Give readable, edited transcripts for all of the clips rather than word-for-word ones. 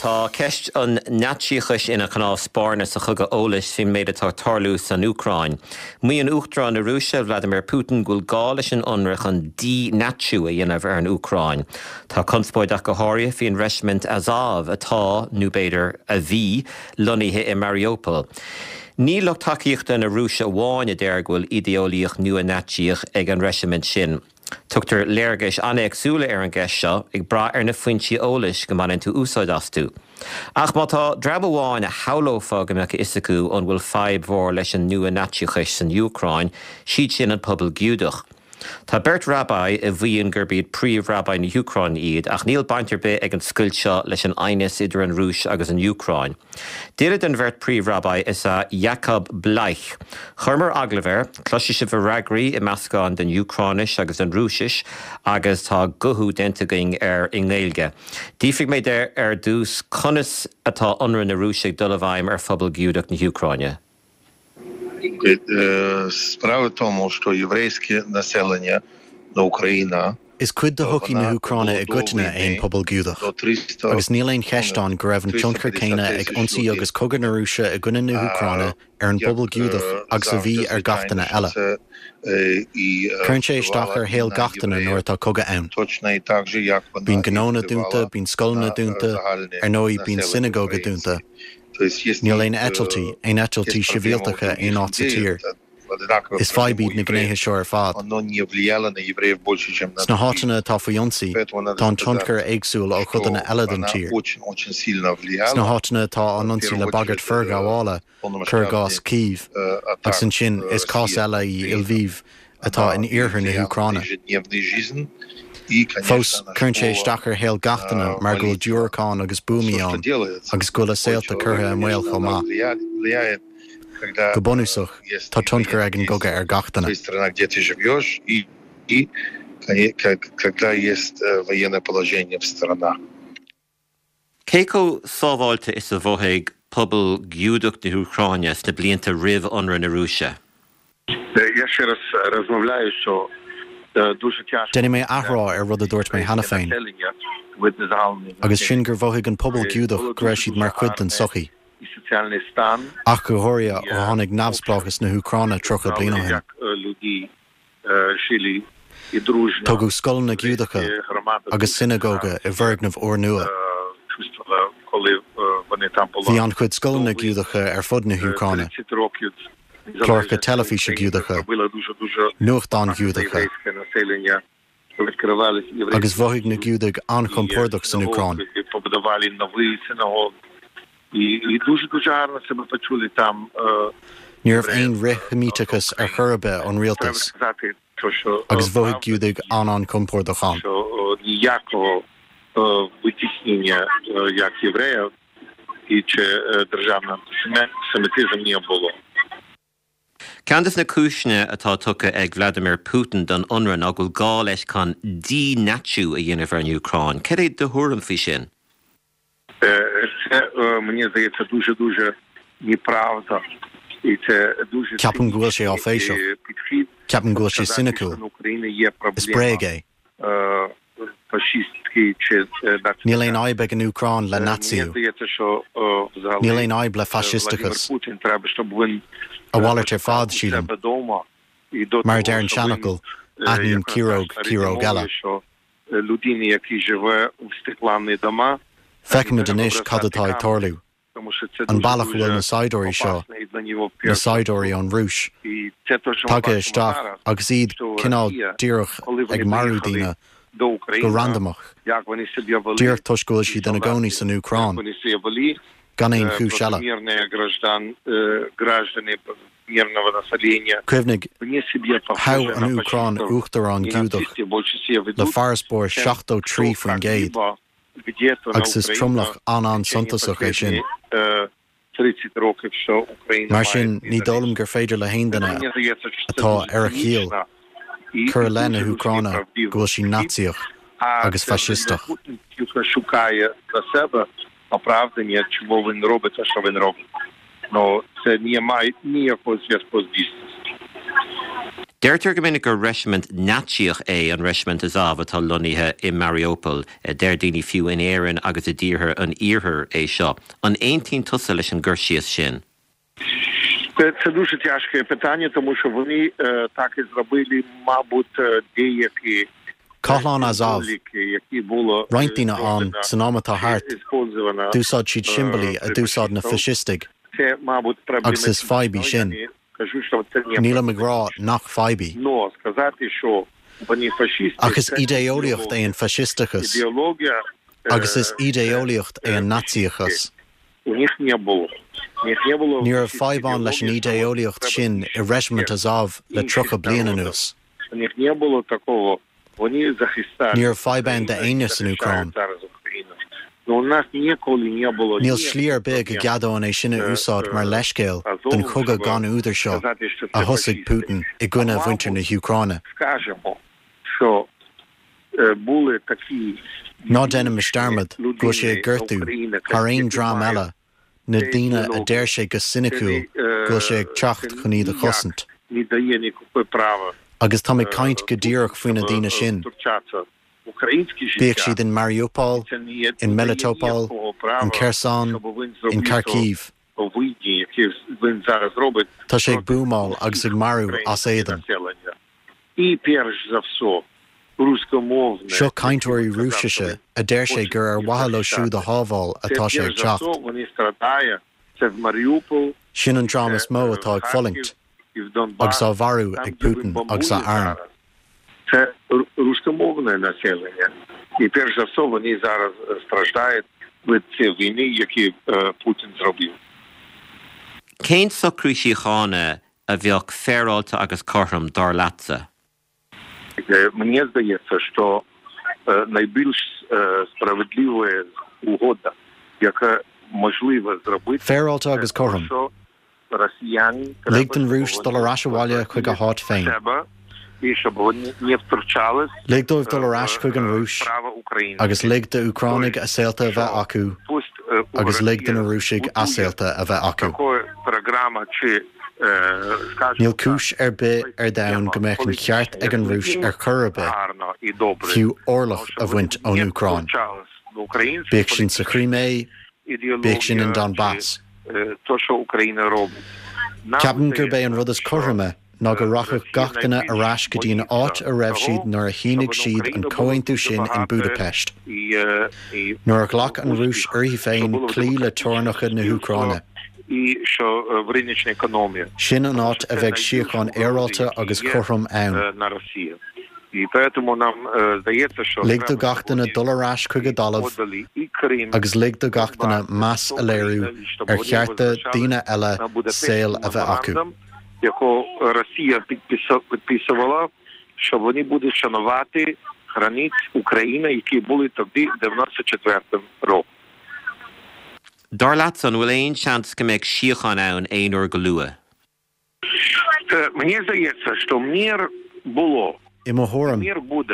Tá ceist an Naitsíochais ina cnámh spairne sa chogadh eolais faoin méid atá ag tarlú san Úcráin. Maíonn Uachtarán na Rúise, Vladimir Putin, go bhfuil gá leis an ionradh chun dí-Natsiú a dhéanamh ar an Úcráin. Tá conspóid ach go háirithe faoin reisimint Azov atá, nó b'fhéidir, a bhí, lonnaithe i Mariupol. Ní lucht tacaíochta na Rúise amháin a deir go bhfuil idé-eolaíocht nua-Naitsíoch ag an reisimint sin. Tugtar léargais an-éagsúla ar an gceist seo, ag brath ar na foinsí eolais go mbaineann tú úsáid astu. Ach má tá dream amháin a shamhlófá go mbeadh a fhios acu an bhfuil fadhb mhór leis an nua-Naitsíochais san Úcráin, siad sin an pobal Giúdach. Tá beirt Rabbi a mhaíonn gurb iad príomh-Rabbi na hÚcráine iad, ach níl baint ar bith ag an scoilt seo leis an aighneas idir an Rúis agus an Úcráin. Duine den bheirt príomh-Rabbi is ea Jacob Bleich. Chuireamar agallamh air, cloisfidh sibh a fhreagraí i meascán den Úcráinis agus den Rúisis agus tá guthú déanta againn air i nGaeilge. D'fhiafraigh mé de ar dtús conas atá ionradh na Rúise ag dul i bhfeidhm ar phobal Giúdach na hÚcráine. Справа в тому, что еврейское население на Украина Is cuid de shochaí na hÚcráine i gcoitinne é an pobal Giúdach, agus níl aon cheist ann go raibh an tionchar céanna ag ionsaí agus cogadh na Rúise i gcoinne na hÚcráine ar an bpobal Giúdach agus a bhí ar gach duine eile. Cuireann sé isteach ar shaol gach duine nuair atá cogadh ann. Bíonn gnónna dúnta, bíonn scoileanna dúnta, ar ndóigh bíonn sionagóga dúnta. Níl aon eitiltí, aon eitiltí sibhialtacha aon áit sa tír. Is fadhb iad na gnéithe seo ar fad. Sna háiteanna atá faoi ionsaí, tá an tionchar éagsúil ó chodanna eile den tír. Sna háiteanna atá á n-ionsaí le bagairt forghabhála, cuir i gcás Kyiv, agus ansin is cás eile í Lviv atá in iarthar na hÚcráine. Fós, cuireann sé isteach ar shaol gach duine mar go bhfuil diúracáin agus buamaí ann agus go bhfuil a saolta curtha i mbaol chomh maith. Go bunúsach, tá tionchar ag an gcogadh ar gach duine. Cé chomh sábháilte is a mhothaigh pobal Giúdach na hÚcráine sna blianta roimh ionradh na Rúise? Déanfaidh mé athrá ar rud a dúirt mé cheana féin, agus sin gur mhothaigh an pobal Giúdach go raibh siad mar chuid den tsochaí. Ach go háirithe ó tháinig neamhspleáchas na hÚcráine 30 bliain ó shin. Tógadh scoileanna Giúdacha agus sionagóga i bhfoirgnimh úrnua. Bhí an-chuid scoileanna Giúdacha ar fud na hÚcráine, cláracha teilifíse Giúdacha, nuachtáin Ghiúdacha. Agus mhothaigh na Giúdaigh an-chompordach san Úcráin. Ní raibh aon fhrith-Sheimíteachas ar chor ar bith ón rialtas, agus mhothaigh Giúdaigh an-an-chompordach ann. Ceann de na cúiseanna atá tugtha ag Vladimir Putin don ionradh ná go bhfuil gá leis chun dí-Natsiú a dhéanamh ar an Úcráin. Cad é do thuairim faoi sin? Ceapaim go bhfuil sé áiféiseach. Ceapaim go bhfuil sé soiniciúil. Is bréag é. Níl aon fhadhb ag an Úcráin le Naitsíú. Níl aon fhadhb le faisisteachas. A mhalairt ar fad, sílim. Mar a deir an seanfhocal, aithníonn ciaróg ciaróg eile. Feicimid anois cad atá ag tarlú. An bealach a bhfuil na saighdiúirí seo, na saighdiúirí ón Rúis, tagtha isteach agus iad cineál díreach ag marú daoine go randamach, díreach toisc go bhfuil siad ina gcónaí san Úcráin, gan aon chúis eile. Cuimhnigh, thogh an Úcráin uachtarán Giúdach le farasbarr 73%. agus is tromlach an-an-suntasach é sin. Mar sin, ní dóigh liom gur féidir le haon duine atá ar a chiall cur i leith na hÚcráine go bhfuil sí Naitsíoch agus faisisteach. Deirtear go minic gur reisimint Naitsíoch é an Reisimint Azov atá lonnaithe i Mariupol. Deir daoine fiú in Éirinn agus i dtíortha an Iarthair é seo. An aontaíonn tusa leis an gcur síos sin? Це дуже тяжке питання, тому що вони так і зробили, мабуть, деякі Cathlán Azov. Roinnt daoine ann, san am atá thart, d'úsáid siad siombailí a d'úsáid na faisistigh, agus is fadhb í sin. Nílim ag rá nach fadhb í. Ach is idé-eolaíocht é an faisisteachas, agus is idé-eolaíocht é an Naitsíochas. Ní raibh fadhb ann leis an idé-eolaíocht sin i Reisimint Azov le 30 bliain anuas. Ní raibh fadhb ann d'éinne san Úcráin. Níl slí ar bith go gceadóinn é sin a úsáid mar leithscéal don chogadh gan údar seo a thosaigh Putin i gcoinne mhuintir na hÚcráine. Ná déanaimis dearmad go bhfuil sé ag gortú, thar aon dream eile, na daoine a deir sé go soiniciúil go bhfuil sé ag teacht chun iad a chosaint. Agus táim ag caint go díreach faoi na daoine sin, bíodh siad in Mariupol, in Melitopol, in Kherson, in Kharkiv. Tá sé ag buamáil agus ag marú as éadan. Seo cainteoirí Rúisise a deir sé gur ar mhaithe leo siúd a shábháil atá sé ag teacht. Sin an dream is mó atá ag fulaingt agus á mharú ag Putin agus a arm. Cén socrú síochána a bheadh féaráilte agus cothrom, dar leatsa? Мне здається, що найбільш справедлива угода, яка можливо зробити, Féaráilte agus cothrom. Lig don Rúis dul ar ais abhaile chuig a háit féin. Lig dóibh dul ar ais chuig an Rúis agus lig d'Úcránaigh a saolta a bheith acu agus lig do na Rúisigh a saolta a bheith acu. Níl cúis ar bith ar domhan go mbeadh an ceart ag an Rúis ar chor ar bith, fiú orlach a bhaint ón Úcráin. Bíodh sin sa Chrimé, bíodh sin in Donbass. Ceapaim gurb é an rud is cothroime ná go rachadh gach duine ar ais go dtí an áit a raibh siad nuair a shínigh siad an comhaontú sin in Budapest, nuair a ghlac an Rúis uirthi féin cloí le teorainneacha na hÚcráine. Sin an áit a bheidh síocháin fhéaráilte agus chothrom ann. Lig do gach duine dul ar ais chuig a dtalamh agus lig do gach duine meas a léiriú ar chearta daoine eile saol a bheith acu. Dar leatsa, an bhfuil aon seans go mbeidh síocháin ann aon uair go luath? Мне здається, що мир було. I mo thuairim,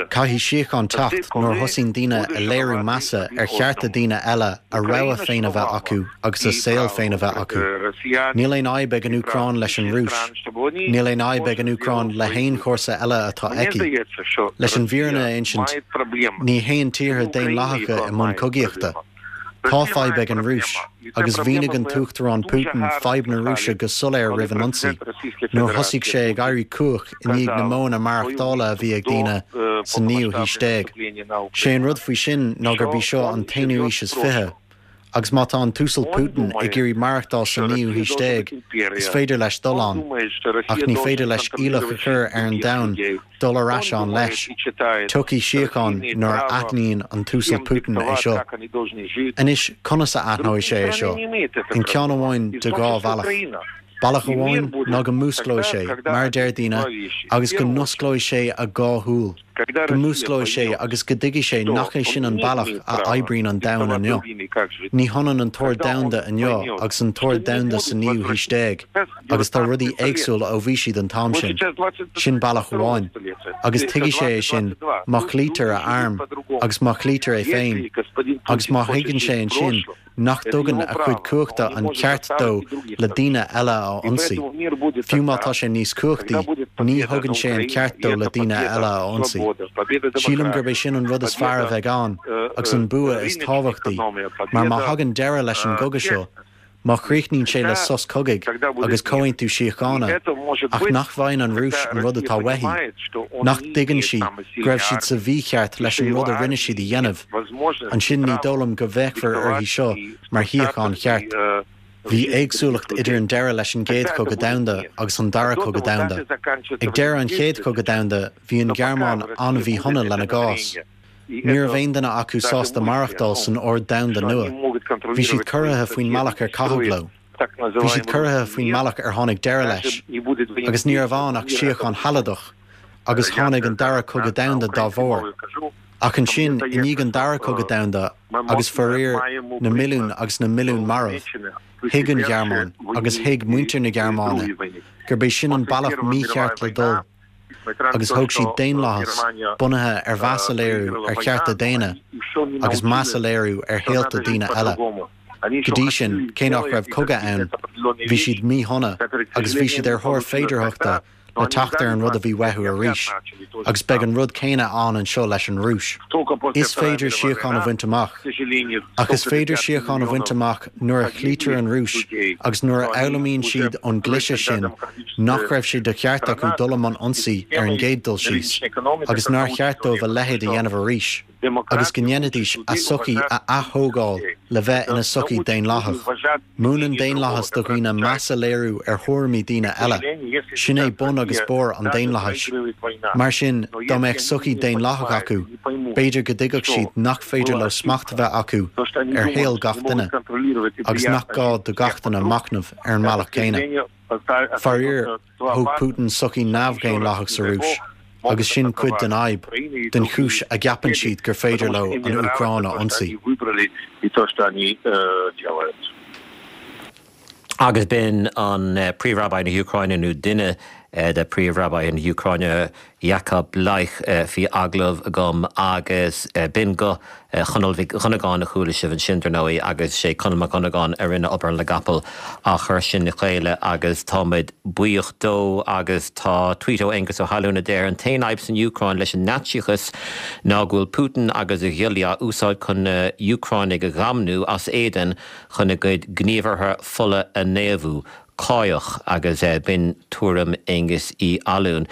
caithfidh síocháin teacht nuair a thosaíonn daoine a léiriú measa ar chearta daoine eile a rogha féin a bheith acu agus a saol féin a bheith acu. Níl aon fhadhb ag an Úcráin leis an Rúis. Níl aon fhadhb ag an Úcráin le haon chomharsa eile atá aici. Leis an bhfírinne a insint, ní théann tíortha daonlathacha i mbun cogaíochta. Tá fadhb ag an Rúis, agus mhínigh an tUachtarán Putin fadhb na Rúise go soiléir roimh an ionsaí, nuair a thosaigh sé ag éirí cumhach i ndiaidh na modhanna maireachtála a bhí ag daoine sa naoú haois déag. Sé an rud faoi sin ná gurb í seo an t-aonú haois is fiche, agus má tá an tUasal Putin ag iarraidh maireachtáil sa naoú haois déag, is féidir leis dul ann, ach ní féidir leis iallach a chur ar an domhan dul ar ais ann leis. Tiocfaidh síocháin nuair a aithníonn an tUasal Putin é seo. Anois, conas a aithneoidh sé é seo? In ceann amháin de dhá bhealach. Bealach amháin ná go músclóidh sé, mar a deir daoine, agus go n-osclóidh sé a dhá shúil. Go músclóidh sé agus go dtuigfidh sé nach é sin an bealach a oibríonn an domhan inniu. Ní hionann an t-ord domhanda inniu agus an t-ord domhanda sa naoú haois déag agus tá rudaí éagsúil ó bhí siad an t-am sin. Sin bealach amháin. Agus tuigfidh sé é sin má chloítear a arm agus má chloítear é féin agus má thuigeann sé ansin nach dtugann a chuid cumhachta an ceart dó le daoine eile a ionsaí. Fiú má tá sé níos cumhachtaí, ní thugann sé an ceart dó le daoine eile a ionsaí. Sílim gurb é sin an rud is fearr a bheidh ann agus an bua is tábhachtaí, mar má thagann deireadh leis an gcogadh seo, Má chríochnaíonn sé le sos cogaidh agus comhaontú síochána, ach nach bhfaigheann an Rúis an rud atá uaithi, nach dtuigeann sí go raibh siad sa mhícheart leis an rud a rinne siad a dhéanamh, ansin ní dóigh liom go bhféachfar uirthi seo mar shíocháin cheart. Bhí éagsúlacht idir an deireadh leis an gCéad Chogadh Domhanda agus an Dara Cogadh Domhanda. Ag deireadh an Chéad Chogadh Domhanda, bhí an Ghearmáin an-mhíshona lena gcás. Ní raibh aon duine acu sásta maireachtáil san ord domhanda nua. Bhí siad corraithe faoin mbealach ar caitheadh leo. Bhí siad corraithe faoin mbealach ar tháinig deireadh leis. Agus ní raibh ann ach síocháin shealadach, agus tháinig an Dara Cogadh Domhanda dá bharr. Ach ansin, i ndiaidh an Dara Cogadh Domhanda, agus faraor na milliúin agus na milliúin marbh, thuig an Ghearmáin, agus thuig muintir na Gearmáine, gurb é sin an bealach mícheart le dul. agus thóg siad daonlathas bunaithe ar mheas a léiriú ar chearta daonna agus meas a léiriú ar shaolta daoine eile. Go dtí sin, cé nach raibh cogadh ann, bhí siad míshona agus bhí siad ar thóir féidearthachta le teacht ar an rud a bhí uathu arís, agus beidh an rud céanna ann anseo leis an Rúis. Is féidir síocháin a bhaint amach. Ach is féidir síocháin a bhaint amach nuair a chloítear an Rúis agus nuair a fhoghlaimíonn siad ón gcliseadh sin nach raibh sé de cheart acu dul i mbun ionsaí ar an gcéad dul síos agus nár cheart dóibh a leithéid a dhéanamh arís agus go ndéanfaidís a sochaí a ath-thógáil le bheith ina sochaí daonlathach. Múineann daonlathas do dhaoine meas a léiriú ar thuairimí daoine eile. Sin é bun agus barr an daonlathais. Mar sin, dá mbeadh sochaí daonlathach acu, b'fhéidir go dtuigfeadh siad nach féidir leo smacht a bheith acu ar shaol gach duine, agus nach gá do gach duine machnamh ar an mbealach céanna. Faraor, thóg Putin sochaí neamh-dhaonlathach sa Rúis, agus sin cuid den fhadhb, den chúis a gceapann siad gur féidir leo an Úcráin a ionsaí. Agus b'in an Príomh-Rabbi na hÚcráine, nó duine de Phríomh-Rabbi na hÚcráine, Jakob Bleich, faoi agallamh agam agus b'in guth Chonaill Mhic Dhonnagáin a chuala sibh ansin, dar ndóigh, agus sé Conall Mac Dhonnagáin a rinne obair na gcapall á chur sin le chéile agus táimid buíoch dó agus tá tweet ó Aengus Ó hAllúin a deir, An t-aon fhadhb san Úcráin leis an Naitsíochas ná go bhfuil Putin agus a ghiollaí á úsáid chun na hÚcránaigh a dhamnú as éadan chun a gcuid gníomhartha fola a naomhú. Cáidheach agus b'in tuairim Aengus Uí Allúin.